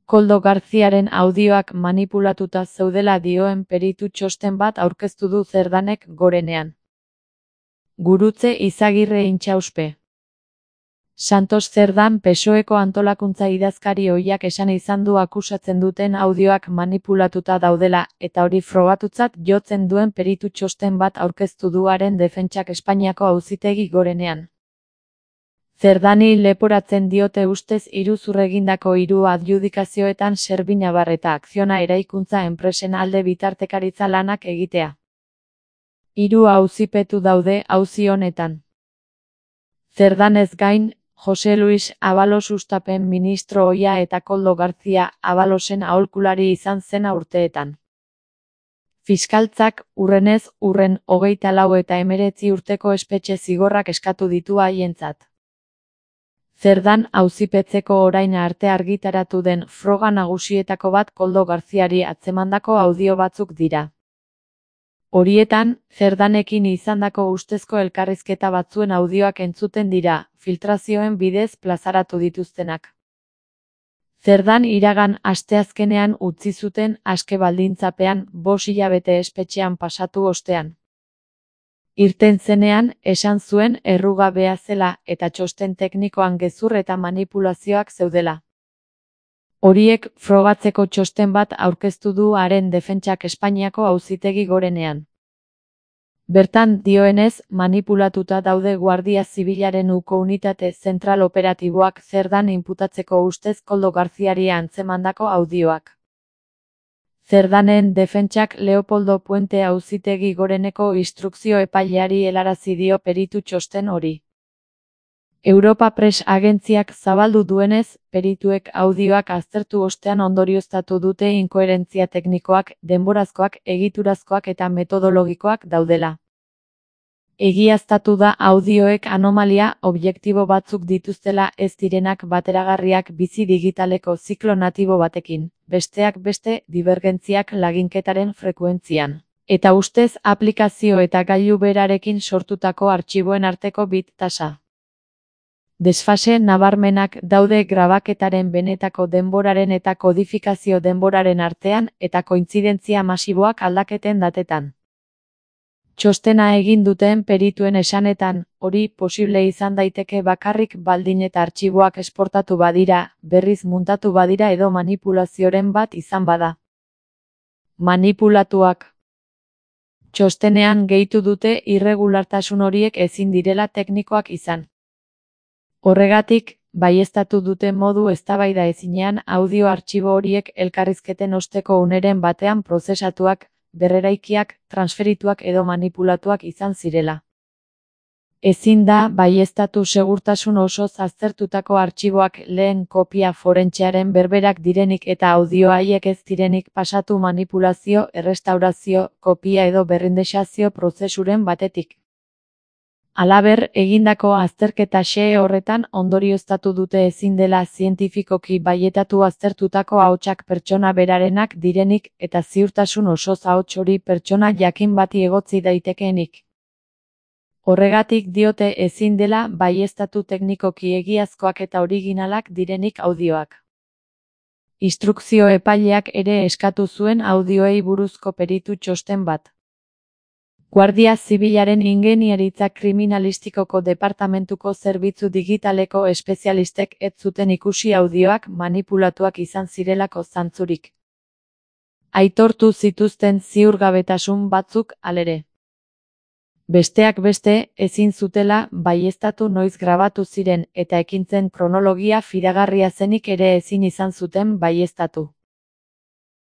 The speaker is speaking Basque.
Koldo Garziaren audioak manipulatuta zeudela dioen peritu txosten bat aurkeztu du Cerdanek Gorenean. Gurutze Izagirre Intxauspe. Santos Cerdan PSOEko antolakuntza idazkari ohiak esan izan du akusatzen duten audioak manipulatuta daudela, eta hori frogatutzat jotzen duen peritu txosten bat aurkeztu du haren defentsak Espainiako Auzitegi Gorenean. Cerdani leporatzen diote ustez iruzur egindako 3 adjudikazioetan Servinabar eta Akziona eraikuntza enpresen alde bitartekaritza lanak egitea. 3 auzipetu daude auzi honetan. Cerdanez gain, Jose Luis Abalos Sustapen ministro ohia eta Koldo Garzia Abalosen aholkulari izan zen urteetan. Fiskaltzak, hurrenez hurren 24 eta 19 urteko espetxe zigorrak eskatu ditu haientzat. Cerdan auzipetzeko orain arte argitaratu den froga nagusietako bat Koldo Garziari atzemandako audio batzuk dira. Horietan, Cerdanekin izandako ustezko elkarrizketa batzuen audioak entzuten dira, filtrazioen bidez plazaratu dituztenak. Cerdan iragan asteazkenean utzi zuten aske baldintzapean 5 hilabete espetxean pasatu ostean. Irten zenean, esan zuen errugabea zela eta txosten teknikoan gezur eta manipulazioak zeudela. Horiek frogatzeko txosten bat aurkeztu du haren defentsak Espainiako Auzitegi Gorenean. Bertan dioenez, manipulatuta daude Guardia Zibilaren uko unitate zentral operatiboak Cerdan inputatzeko ustez Koldo Garziari antzemandako audioak. Cerdanen defentsak Leopoldo Puente Auzitegi Goreneko instrukzio epaileari helarazi dio peritu txosten hori. Europa Press agentziak zabaldu duenez, perituek audioak aztertu ostean ondorioztatu dute inkoherentzia teknikoak, denborazkoak, egiturazkoak eta metodologikoak daudela. Egiaztatu da audioek anomalia objektibo batzuk dituztela ez direnak bateragarriak bizi digitaleko ziklo natibo batekin, besteak beste divergentziak laginketaren frekuentzian, eta ustez aplikazio eta gailu berarekin sortutako artxiboen arteko bit tasa. Desfase nabarmenak daude grabaketaren benetako denboraren eta kodifikazio denboraren artean eta kointzidentzia masiboak aldaketen datetan. Txostena egin duten perituen esanetan, hori posible izan daiteke bakarrik baldin eta artxiboak esportatu badira, berriz muntatu badira edo manipulazioren bat izan bada. Manipulatuak. Txostenean gehitu dute irregulartasun horiek ezin direla teknikoak izan. Horregatik, baieztatu dute modu eztabaida ezinean audio artxibo horiek elkarrizketen osteko uneren batean prozesatuak, berreraikiak, transferituak edo manipulatuak izan zirela. Ezin da baieztatu segurtasun osoz aztertutako artxiboak lehen kopia forentsearen berberak direnik eta audio haiek ez direnik pasatu manipulazio, errestaurazio, kopia edo berrindexazio prozesuren batetik. Halaber, egindako azterketa xehe horretan ondorioztatu dute ezin dela zientifikoki baietatu aztertutako ahotsak pertsona berarenak direnik eta ziurtasun osoz ahots hori pertsona jakin bati egotzi daitekeenik. Horregatik diote ezin dela baieztatu teknikoki egiazkoak eta originalak direnik audioak. Instrukzio epaileak ere eskatu zuen audioei buruzko peritu txosten bat. Guardia Zibilaren ingeniaritza kriminalistikoko departamentuko zerbitzu digitaleko espezialistek ez zuten ikusi audioak manipulatuak izan zirelako zantzurik. Aitortu zituzten ziurgabetasun batzuk halere. Besteak beste, ezin zutela baieztatu noiz grabatu ziren eta ekintzen kronologia fidagarria zenik ere ezin izan zuten baieztatu.